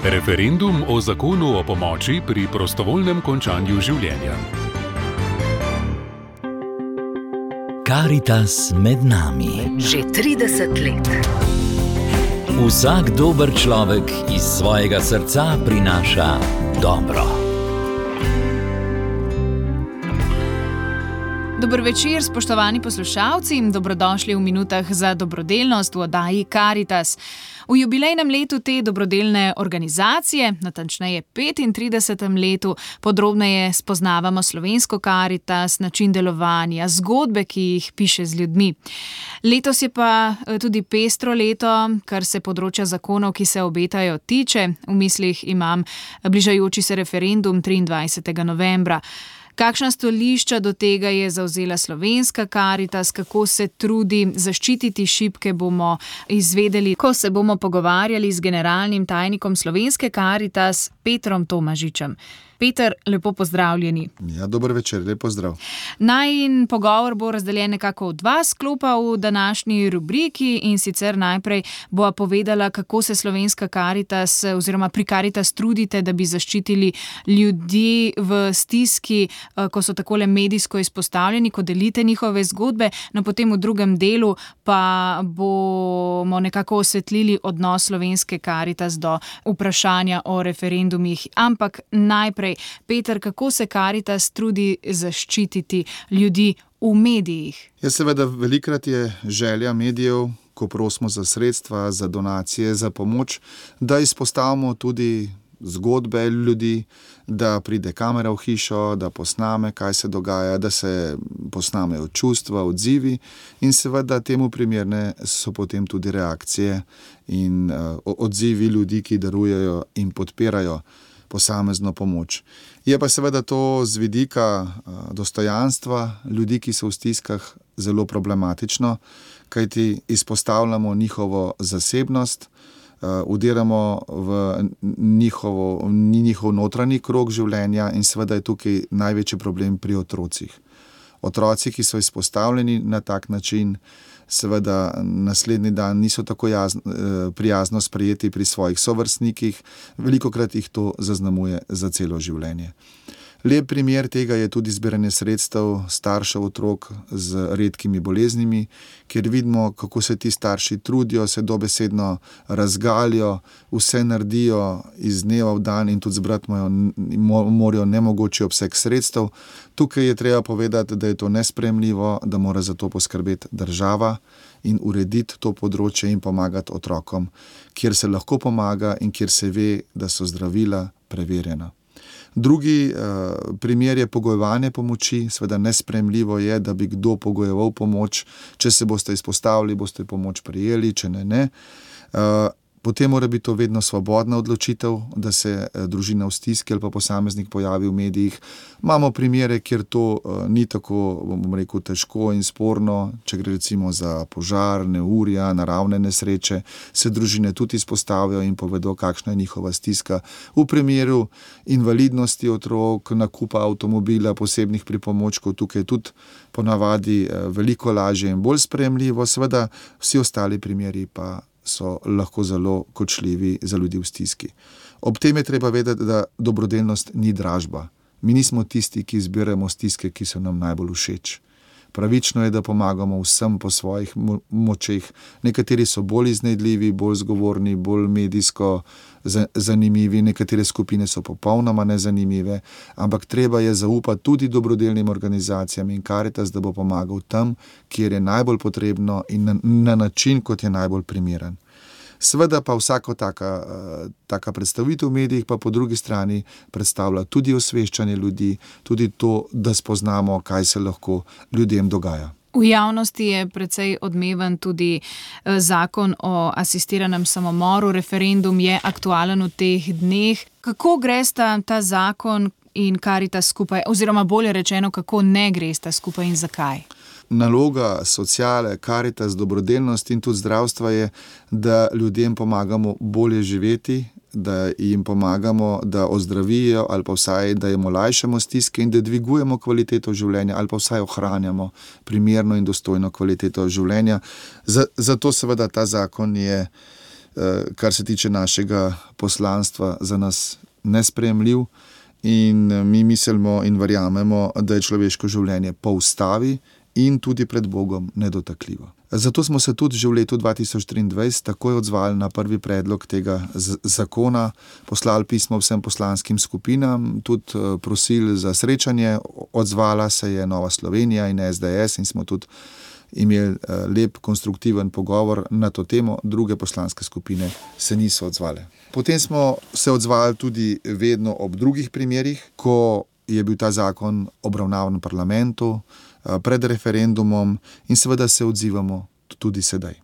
Referendum o zakonu o pomoči pri prostovoljnem končanju življenja. Karitas med nami. Že 30 let. Vsak dober človek iz svojega srca prinaša dobro. Dober večer, spoštovani poslušalci, dobrodošli v minutah za dobrodelnost v oddaji Karitas. V jubilejnem letu te dobrodelne organizacije, natančneje 35. letu, podrobneje spoznavamo slovensko Karitas, način delovanja, zgodbe, ki jih piše z ljudmi. Letos je pa tudi pestro leto, kar se področja zakonov, ki se obetajo, tiče. V mislih imam bližajoči se referendum 23. novembra. Kakšna stališča do tega je zavzela slovenska Karitas, kako se trudi zaščititi šibke, bomo izvedeli, ko se bomo pogovarjali z generalnim tajnikom slovenske Karitas, Petrom Tomažičem. Peter, lepo pozdravljeni. Ja, dober večer, lep pozdrav. Najin pogovor bo razdeljen nekako v dva sklopa v današnji rubriki, in sicer najprej bova povedala, kako se slovenska Karitas oziroma pri Karitas trudite, da bi zaščitili ljudi v stiski, ko so takole medijsko izpostavljeni, ko delite njihove zgodbe. No, potem v drugem delu pa bomo nekako osvetlili odnos slovenske Karitas do vprašanja o referendumih. Ampak najprej, Peter, kako se Karitas trudi zaščititi ljudi v medijih? Ja, seveda, velikrat je želja medijev, ko prosimo za sredstva, za donacije, za pomoč, da izpostavimo tudi zgodbe ljudi, da pride kamera v hišo, da posname, kaj se dogaja, da se posnamejo čustva, odzivi, in seveda temu primerne so potem tudi reakcije in odzivi ljudi, ki darujejo in podpirajo posamezno pomoč. Je pa seveda to z vidika dostojanstva ljudi, ki so v stiskah, zelo problematično, kajti izpostavljamo njihovo zasebnost, vdiramo v njihov notranji krog življenja in seveda je tukaj največji problem pri otrocih. Otroci, ki so izpostavljeni na tak način, seveda naslednji dan niso tako prijazno sprejeti pri svojih sovrstnikih, velikokrat jih to zaznamuje za celo življenje. Lep primer tega je tudi zbiranje sredstev staršev otrok z redkimi boleznimi, kjer vidimo, kako se ti starši trudijo, se dobesedno razgalijo, vse naredijo iz dneva v dan in tudi zbrati morajo nemogoči obseg sredstev. Tukaj je treba povedati, da je to nesprejemljivo, da mora za to poskrbeti država in urediti to področje in pomagati otrokom, kjer se lahko pomaga in kjer se ve, da so zdravila preverjena. Drugi primer je pogojevanje pomoči. Seveda nesprejemljivo je, da bi kdo pogojeval pomoč. Če se boste izpostavili, boste pomoč prejeli, če ne. Potem mora biti to vedno svobodna odločitev, da se družina v stiski ali pa posameznik pojavi v medijih. Imamo primere, kjer to ni tako, bom rekel, težko in sporno. Če gre recimo za požar, neurja, naravne nesreče, se družine tudi izpostavijo in povedo, kakšna je njihova stiska. V primeru invalidnosti otrok, nakupa avtomobila, posebnih pripomočkov, tukaj tudi ponavadi veliko lažje in bolj sprejemljivo. Seveda vsi ostali primeri pa so lahko zelo kočljivi za ljudi v stiski. Ob tem je treba vedeti, da dobrodelnost ni dražba. Mi nismo tisti, ki izbiramo stiske, ki so nam najbolj všeč. Pravično je, da pomagamo vsem po svojih močeh. Nekateri so bolj iznajdljivi, bolj zgovorni, bolj medijsko zanimivi, nekatere skupine so popolnoma nezanimive, ampak treba je zaupati tudi dobrodelnim organizacijam in Karitas, da bo pomagal tam, kjer je najbolj potrebno in na način, kot je najbolj primeren. Seveda pa vsako taka predstavitev v medijih pa po drugi strani predstavlja tudi osveščanje ljudi, tudi to, da spoznamo, kaj se lahko ljudem dogaja. V javnosti je precej odmeven tudi zakon o asistiranem samomoru. Referendum je aktualen v teh dneh. Kako gresta ta zakon in Karitas skupaj, oziroma bolje rečeno, kako ne gresta skupaj in zakaj? Naloga sociale, Karitas, dobrodelnosti in tudi zdravstva je, da ljudem pomagamo bolje živeti, da jim pomagamo, da ozdravijo ali pa vsaj, da jim olajšamo stiske in da dvigujemo kvaliteto življenja ali pa vsaj ohranjamo primerno in dostojno kvaliteto življenja. Zato seveda ta zakon je kar se tiče našega poslanstva, za nas nesprejemljiv in mi mislimo in verjamemo, da je človeško življenje po ustavi in tudi pred Bogom nedotakljivo. Zato smo se tudi že v letu 2023 takoj odzvali na prvi predlog tega zakona, poslali pismo vsem poslanskim skupinam, tudi prosili za srečanje, odzvala se je Nova Slovenija in SDS in smo tudi imeli lep, konstruktiven pogovor na to temo, druge poslanske skupine se niso odzvale. Potem smo se odzvali tudi vedno ob drugih primerih, ko je bil ta zakon obravnavan v parlamentu, pred referendumom in seveda se odzivamo tudi sedaj.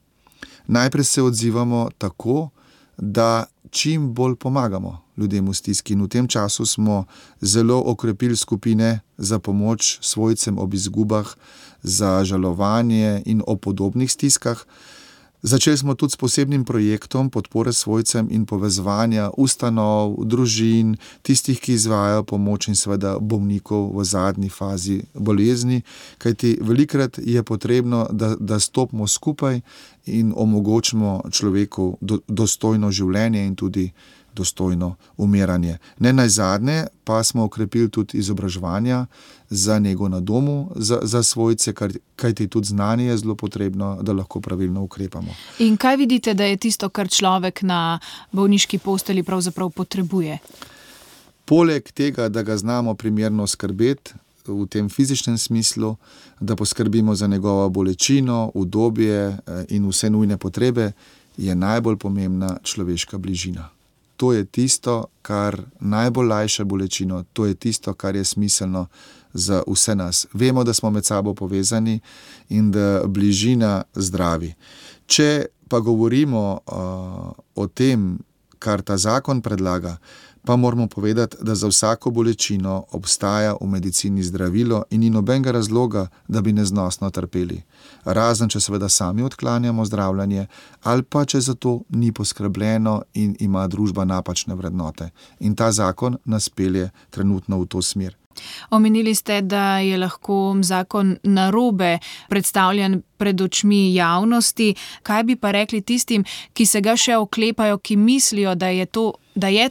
Najprej se odzivamo tako, da čim bolj pomagamo ljudem v stiski in v tem času smo zelo okrepili skupine za pomoč svojcem ob izgubah, za žalovanje in o podobnih stiskah. Začeli smo tudi s posebnim projektom podpore svojcem in povezovanja ustanov, družin, tistih, ki izvajajo pomoč in seveda bolnikov v zadnji fazi bolezni, kajti velikokrat je potrebno, da stopimo skupaj in omogočimo človeku dostojno življenje in tudi dostojno umiranje. Ne nazadnje pa smo okrepili tudi izobraževanja za nego na domu, za svojce, kajti tudi znanje je zelo potrebno, da lahko pravilno ukrepamo. In kaj vidite, da je tisto, kar človek na bolniški postelji pravzaprav potrebuje? Poleg tega, da ga znamo primerno skrbeti v tem fizičnem smislu, da poskrbimo za njegovo bolečino, udobje in vse nujne potrebe, je najbolj pomembna človeška bližina. To je tisto, kar najbolj lajša bolečino, to je tisto, kar je smiselno za vse nas. Vemo, da smo med sabo povezani in da bližina zdravi. Če pa govorimo o tem, kar ta zakon predlaga, pa moramo povedati, da za vsako bolečino obstaja v medicini zdravilo in ni nobenega razloga, da bi neznosno trpeli. Razen, če seveda sami odklanjamo zdravljenje ali pa če za to ni poskrbljeno in ima družba napačne vrednote. In ta zakon nas pelje trenutno v to smer. Omenili ste, da je lahko zakon narobe predstavljen pred očmi javnosti. Kaj bi pa rekli tistim, ki se ga še oklepajo, ki mislijo, da je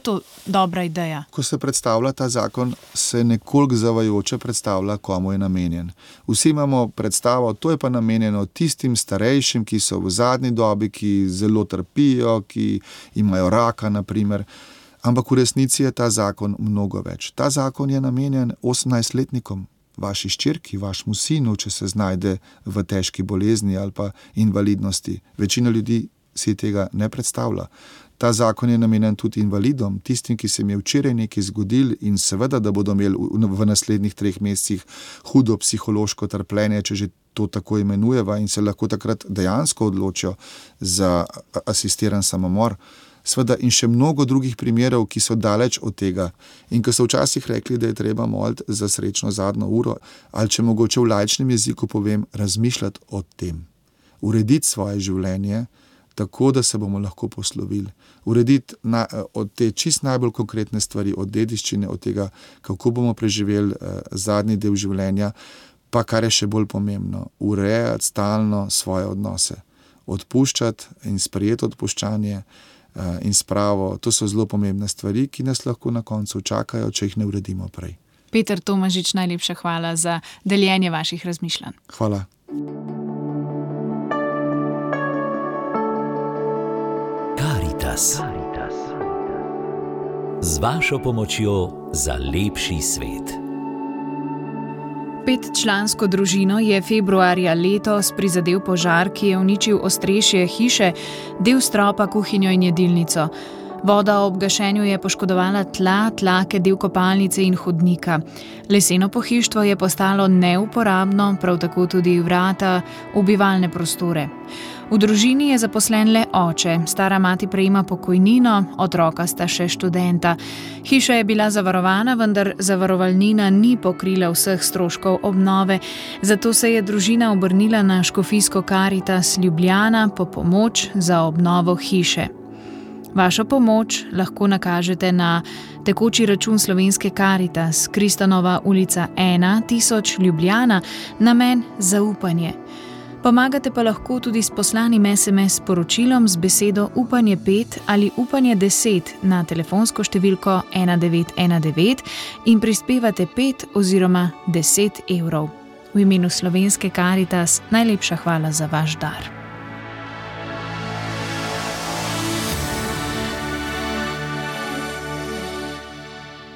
to dobra ideja? Ko se predstavlja ta zakon, se nekoliko zavajajoče predstavlja, komu je namenjen. Vsi imamo predstavo, to je pa namenjeno tistim starejšim, ki so v zadnji dobi, ki zelo trpijo, ki imajo raka, na primer. Ampak v resnici je ta zakon mnogo več. Ta zakon je namenjen 18-letnikom, vaši hčerki, vašemu sinu, če se znajde v težki bolezni ali pa invalidnosti. Večina ljudi si tega ne predstavlja. Ta zakon je namenjen tudi invalidom, tistim, ki se jim je včeraj nekaj zgodilo in seveda, da bodo imeli v naslednjih 3 mesecih hudo psihološko trpljenje, če že to tako imenujeva in se lahko takrat dejansko odločijo za asistiran samomor. Sveda in še mnogo drugih primerov, ki so daleč od tega in ko so včasih rekli, da je treba moliti za srečno zadnjo uro, ali če mogoče v laičnem jeziku povem, razmišljati o tem. Urediti svoje življenje tako, da se bomo lahko poslovili. Urediti od te čist najbolj konkretne stvari, od dediščine, od tega, kako bomo preživeli zadnji del življenja, pa kar je še bolj pomembno, urejati stalno svoje odnose. Odpuščati in sprejeti odpuščanje in spravo, to so zelo pomembne stvari, ki nas lahko na koncu čakajo, če jih ne uredimo prej. Peter Tomažič, najlepša hvala za deljenje vaših razmišljanj. Hvala. Karitas. Z vašo pomočjo za lepši svet. 5-člansko družino je februarja letos prizadel požar, ki je uničil ostrešje hiše, del stropa, kuhinjo in jedilnico. Voda ob gašenju je poškodovala tla, tlake, del kopalnice in hodnika. Leseno pohištvo je postalo neuporabno, prav tako tudi vrata v bivalne prostore. V družini je zaposlen le oče, stara mati prejema pokojnino, otroka sta še študenta. Hiša je bila zavarovana, vendar zavarovalnina ni pokrila vseh stroškov obnove, zato se je družina obrnila na škofijsko Karitas Ljubljana po pomoč za obnovo hiše. Vašo pomoč lahko nakažete na tekoči račun Slovenske Karitas, Kristanova ulica 1, 1000 Ljubljana, namen zaupanje. Pomagate pa lahko tudi s poslanim SMS sporočilom z besedo Upanje 5 ali Upanje 10 na telefonsko številko 1919 in prispevate 5 oziroma 10 evrov. V imenu Slovenske Karitas najlepša hvala za vaš dar.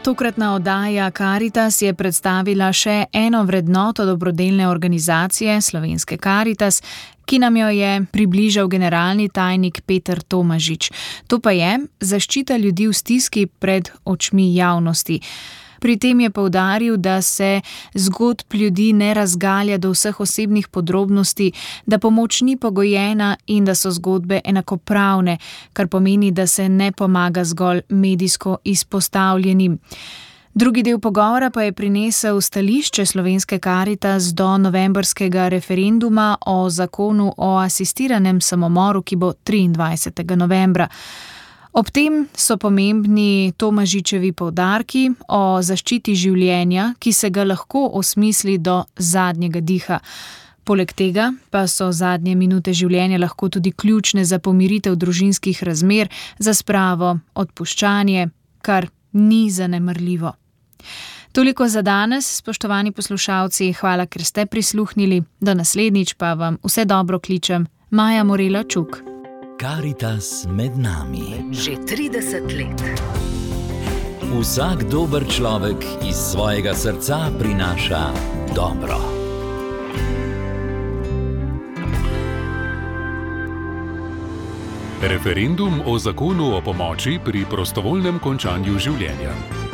Tokratna oddaja Karitas je predstavila še eno vrednoto dobrodelne organizacije Slovenske Karitas, ki nam jo je približal generalni tajnik Peter Tomažič. To pa je zaščita ljudi v stiski pred očmi javnosti. Pri tem je poudaril, da se zgodb ljudi ne razgalja do vseh osebnih podrobnosti, da pomoč ni pogojena in da so zgodbe enakopravne, kar pomeni, da se ne pomaga zgolj medijsko izpostavljenim. Drugi del pogovora pa je prinesel stališče Slovenske Karitas do novembrskega referenduma o zakonu o asistiranem samomoru, ki bo 23. novembra. Ob tem so pomembni Tomažičevi poudarki o zaščiti življenja, ki se ga lahko osmisli do zadnjega diha. Poleg tega pa so zadnje minute življenja lahko tudi ključne za pomiritev družinskih razmer, za spravo, odpuščanje, kar ni zanemarljivo. Toliko za danes, spoštovani poslušalci, hvala, ker ste prisluhnili. Do naslednjič pa vam vse dobro kličem. Maja Morela Čuk. Karitas med nami. Že 30 let. Vsak dober človek iz svojega srca prinaša dobro. Referendum o zakonu o pomoči pri prostovoljnem končanju življenja.